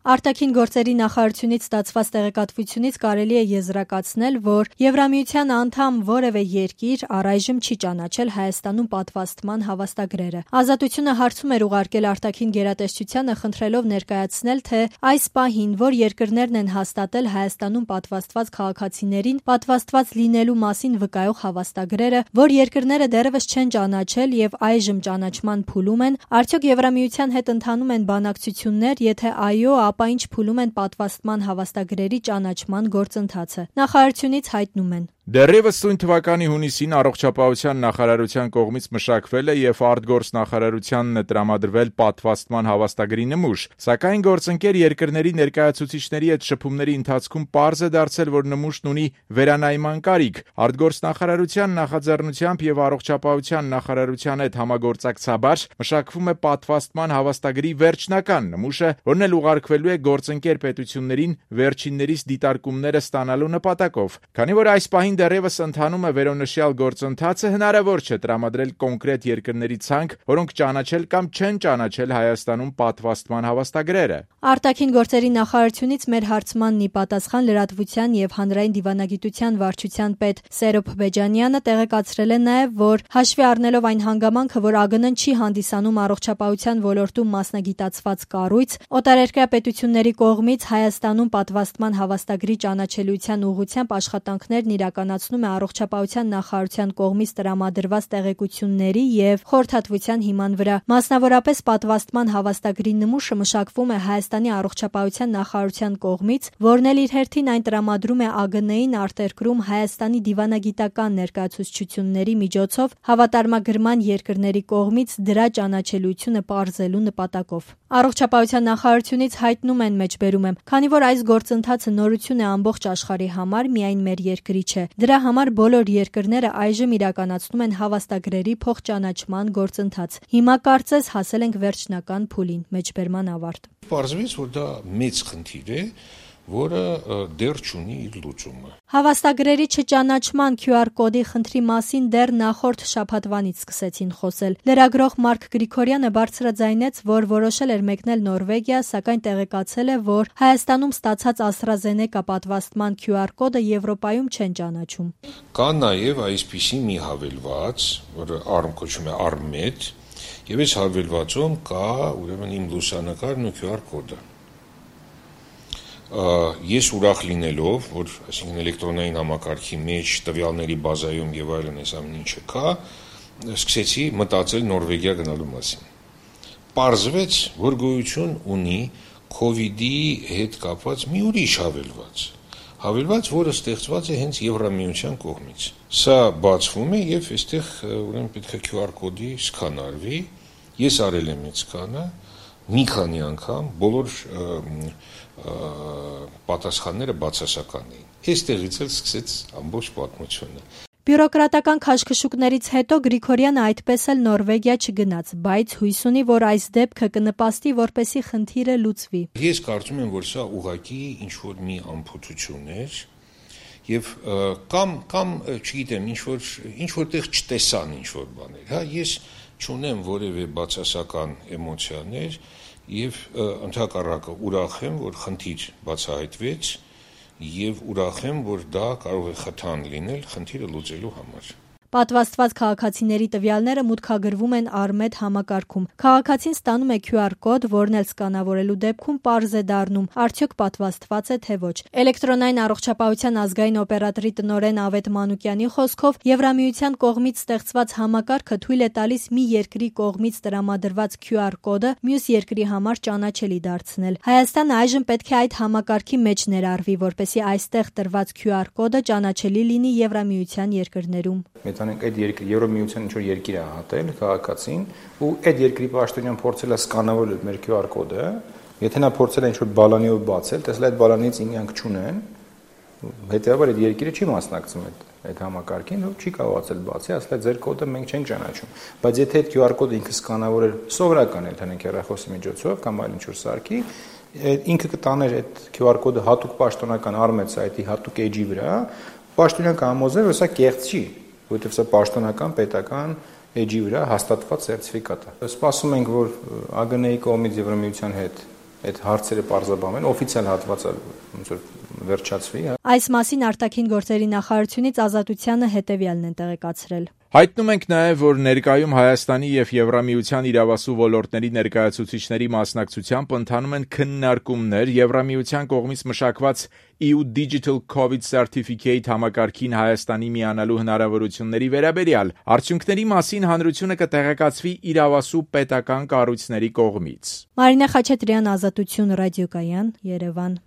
Արտաքին գործերի նախարարությունից ստացված տեղեկատվությունից կարելի է եզրակացնել, որ Եվրամիության անդամ որևէ երկիր առայժմ չի ճանաչել Հայաստանում պատվաստման հավաստագրերը։ Ազատությունը հարցում էր ուղարկել արտաքին գերատեսչությանը, խնդրելով ներկայացնել, թե այս պահին որ երկրներն են հաստատել Հայաստանում պատվաստված քաղաքացիներին պատվաստված լինելու մասին վկայող հավաստագրերը, որ երկրները դեռևս չեն ճանաչել եւ այժմ ճանաչման փուլում են, արդյոք Եվրամիության հետ ընթանում են բանակցություններ, եթե այո, ապա ինչ փուլում են պատվաստման հավաստագրերի ճանաչման գործընթացը։ Նախարարությունից հայտնում են. Դեռևս սույն թվականի հունիսին առողջապահության նախարարության կողմից մշակվել է եւ արտգործնախարարությանն է տրամադրվել պատվաստման հավաստագրի նմուշ, սակայն գործընկեր երկրների ներկայացուցիչների հետ շփումների ընթացքում պարզ է դարձել, որ նմուշն ունի վերանայման կարիք։ Արտգործնախարարության նախաձեռնությամբ եւ առողջապահության նախարարության հետ համագործակցաբար մշակվում է պատվաստման հավաստագրի վերջնական նմուշը, որն էլ ուղարկվելու է գործընկեր պետություններին վերջիններիս դիտարկումները ստանալու նպատակով։ Քանի որ այս պահին դեռևս ընթանում է վերոնշյալ գործընթացը, հնարավոր չէ տրամադրել կոնկրետ երկրների ցանկ, որոնք ճանաչել կամ չեն ճանաչել Հայաստանում պատվաստման հավաստագրերը։ Արտաքին գործերի նախարարությունից մեր հարցմանն ի պատասխան լրատվության եւ հանրային դիվանագիտության վարչության պետ Սերոբ Բեջանյանը տեղեկացրել է նաեւ, որ հաշվի առնելով այն հանգամանքը, որ ԱԳՆ-ն չի հանդիսանում առողջապահության ոլորտում մասնագիտացված կառույց, օտարերկրյա պետությունների կողմից Հայաստանում պատվաստման հավաստագրի ճանաչելիության ուղղությամբ աշխատանքներն իրականացնում է առողջապահության նախարարության կողմից տրամադրված տեղեկությունների եւ խորհրդատվության հիման վրա։ Մասնավորապես պատվաստման հավաստագրի նմուշը մշակվում է Հայաստանի առողջապահության նախարարության կողմից, որն էլ իր հերթին այն տրամադրում է ԱԳՆ-ին արտերկրում Հայաստանի դիվանագիտական ներկայացուցչությունների միջոցով հավատարմագրման երկրների կողմից դրա ճանաչելիությունը պարզելու նպատակով։ Առողջապահության նախարարությունից հայտնում են մեջբերում եմ, քանի որ այս գործընթացը նորություն է ամբողջ աշխարհի համար, միայն մեր երկրի չէ։ Դրա համար բոլոր երկրները այժմ իրականացնում են հավաստագրերի փոխճանաչման գործընթաց։ Հիմա կարծես հասել ենք վերջնական փուլին, մեջբերման ավարտ։ Պարզվեց, որ դա մեծ խնդիր է, որը դեռ չունի իր լուծումը։ Հավաստագրերի չճանաչման QR կոդի խնդրի մասին դեռ նախորդ շաբաթվանից սկսեցին խոսել։ Լրագրող Մարկ Գրիգորյանը բարձրաձայնեց, որ որոշել էր մեկնել Նորվեգիա, սակայն տեղեկացել է, որ Հայաստանում ստացած AstraZeneca պատվաստման QR կոդը Եվրոպայում չեն ճանաչում։ Կա նաև այսպիսի մի հավելված, որը կոչվում է ARMED, եւ այս հավելվածում կա ուրեմն իմ լուսանկարն ու QR կոդը։ Ես ուրախ լինելով, որ այսինքն էլեկտրոնային համակարգի մեջ տվյալների բազայում եւ այլն այս ամեն ինչը կա, սկսեցի մտածել Նորվեգիա գնալու մասին։ Պարզվեց, որ գոյություն ունի COVID-ի հետ կապված մի ուրիշ հավելված, որը ստեղծված է հենց Եվրամիության կողմից։ Սա բացվում է եւ այստեղ ուրեմն պետք է QR կոդի սկան արվի։ Ես արել եմ այդ սկանը մի քանի անգամ, բոլոր պատասխանները բացասական էին։ Այստեղից էլ սկսեց ամբողջ պատմությունը։ Բյուրոկրատական քաշքշուկներից հետո Գրիգորյանը այդպես էլ Նորվեգիա չգնաց, բայց հույս ունի, որ այս դեպքը կնպաստի, որպեսզի խնդիրը լուծվի։ Ես կարծում եմ, որ սա ուղղակի ինչ-որ մի անփոթություն էր, եւ կամ չգիտեմ, ինչ-որտեղ չտեսան ինչ-որ բաներ, հա, ես չունեմ որևէ բացասական էմոցիաներ եւ ընդհակառակը ուրախ եմ, որ խնդիր բացահայտվեց եւ ուրախ եմ, որ դա կարող է խթան լինել խնդիրը լուծելու համար։ Պատվաստված քաղաքացիների տվյալները մուտքագրվում են ARMED համակարգում։ Քաղաքացին ստանում է QR կոդ, որն էլ սկանավորելու դեպքում պարզ է դառնում, արդյոք պատվաստված է թե ոչ։ Էլեկտրոնային առողջապահության ազգային օպերատորի տնօրեն Ավետ Մանուկյանի խոսքով Եվրամիության կողմից ստեղծված համակարգը թույլ է տալիս մի երկրի կողմից տրամադրված QR կոդը մյուս երկրի համար ճանաչելի դարձնել։ Հայաստանը այժմ պետք է այդ համակարգի մեջ ներառվի, որպեսզի այստեղ տրված QR կոդը ճանաչելի լինի Եվրամիության երկրներում։ Մեծանենք այդ Եվրամիության ինչ-որ երկիր է հատել քաղաքացին ու այդ երկրի պաշտոնյան փորձել է սկանավորել մեր QR կոդը, եթե նա փորձել է ինչ-որ բալանիով բացել, տեսել այդ բալանից ինքնանք չունեն, հետեւաբար այդ երկիրը չի մասնակցում այդ համակարգին ու չի կարողացել բացի, ասել է ձեր կոդը մենք չենք ճանաչում, բայց եթե այդ QR կոդը ինքը սկանավորել սովորական ընդհանուր հեռախոսի միջոցով կամ այլ ինչ-որ սարքի, ինքը կտաներ այդ QR կոդը հատուկ պաշտոնական ARMED սայթի հատուկ էջի վրա, պաշտոնյան կհամոզել, որ սա կեղծ չի, որովհետև սա պաշտոնական պետական էջի վրա հաստատված սերտիֆիկատ է։ Սպասում ենք, որ ԱԳՆ-ի կողմից Եվրամիության հետ այդ հարցերը պարզաբանեն, օֆիցիալ հատվածը ոնց որ վերջացվի։ Այս մասին արտաքին գործերի նախարարությունից Ազատությանը հետևյալն են տեղեկացրել. Հայտնում ենք նաև, որ ներկայում Հայաստանի եւ Եվրամիության իրավասու ոլորտների ներկայացուցիչների մասնակցությամբ ընթանում են քննարկումներ Եվրամիության կողմից մշակված EU Digital COVID Certificate համակարգին Հայաստանի միանալու հնարավորությունների վերաբերյալ։ Արդյունքների մասին հանրությունը կտեղեկացվի իրավասու պետական կառույցների կողմից։ Մարինե Խաչատրյան, Ազատություն ռադիոկայան, Երևան։